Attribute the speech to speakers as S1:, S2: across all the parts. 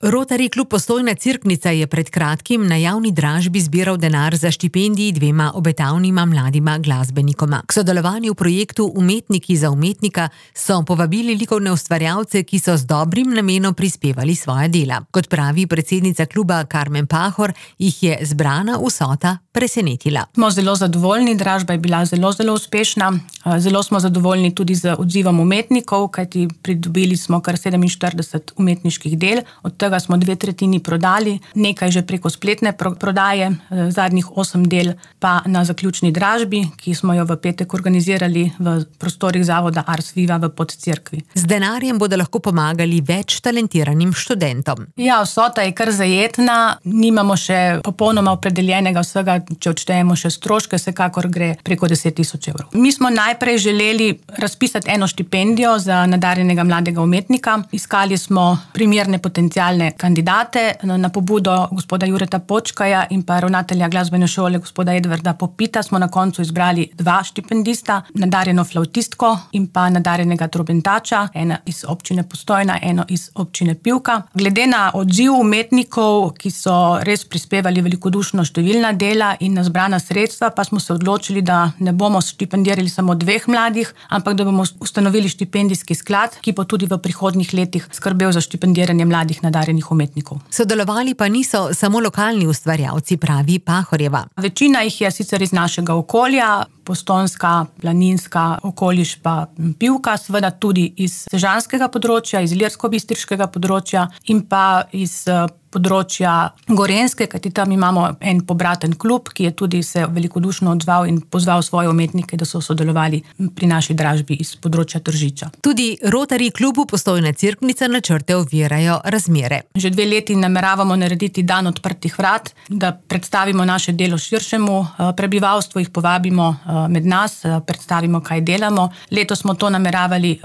S1: Rotary klub Postojna Cerknica je pred kratkim na javni dražbi zbiral denar za štipendiji dvema obetavnima mladima glasbenikoma. K sodelovanju v projektu Umetniki za umetnika so povabili likovne ustvarjalce, ki so z dobrim namenom prispevali svoja dela. Kot pravi predsednica kluba Karmen Pahor, jih je zbrana vsota presenetila.
S2: Smo zelo zadovoljni, dražba je bila zelo uspešna. Zelo smo zadovoljni tudi z odzivom umetnikov, kajti pridobili smo kar 47 umetniških del, od tega smo 2/3 prodali, nekaj že preko spletne prodaje, zadnjih 8 del pa na zaključni dražbi, ki smo jo v petek organizirali v prostorih zavoda Ars Viva v Podcerkvi.
S1: Z denarjem bodo lahko pomagali več talentiranim študentom.
S2: Ja, vsota je kar zajetna, nimamo še popolnoma opredeljenega vsega, če odštejemo še stroške, vsekakor gre preko 10 000 evrov. Mi smo najprej želeli razpisati eno štipendijo za nadarjenega mladega umetnika. Iskali smo primerne potencialne kandidate. Na pobudo gospoda Jureta Počkaja in pa ravnatelja glasbene šole gospoda Edvarda Popita smo na koncu izbrali 2 štipendista, nadarjeno flavtistko in pa nadarjenega trobentača, ena iz občine Postojna, eno iz občine Pivka. Glede na odziv umetnikov, ki so res prispevali velikodušno številna dela in na zbrana sredstva, pa smo se odločili, da ne bomo štipendirali samo 2 mladih, ampak da bomo ustanovili štipendijski sklad, ki bo tudi v prihodnjih letih skrbel za štipendiranje mladih nadarjenih umetnikov.
S1: Sodelovali pa niso samo lokalni ustvarjalci, pravi Pahorjeva.
S2: Večina jih je sicer iz našega okolja, Postojnska, Planinska, okoliš pa Pivka, seveda tudi iz sežanskega področja, iz ilirsko-bistriškega področja in pa iz področja Gorenjske, kajti tam imamo en pobraten klub, ki je tudi se velikodušno odzval in pozval svoje umetnike, da so sodelovali pri naši dražbi iz področja Tržiča.
S1: Tudi Rotary klubu Postojna Cerknica načrte ovirajo razmere.
S2: Že 2 leti nameravamo narediti dan odprtih vrat, da predstavimo naše delo širšemu prebivalstvu, jih povabimo med nas, predstavimo, kaj delamo. Letos smo to nameravali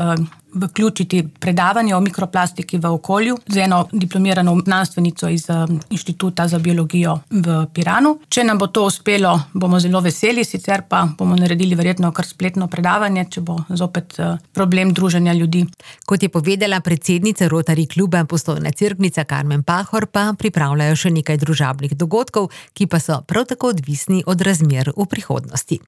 S2: vključiti predavanje o mikroplastiki v okolju z eno diplomirano znanstvenico iz Inštituta za biologijo v Piranu. Če nam bo to uspelo, bomo zelo veseli, sicer pa bomo naredili verjetno kar spletno predavanje, če bo zopet problem druženja ljudi.
S1: Kot je povedala predsednica Rotary kluba Postojna Cerknica Karmen Pahor, pa pripravljajo še nekaj družabnih dogodkov, ki pa so prav tako odvisni od razmer v prihodnosti.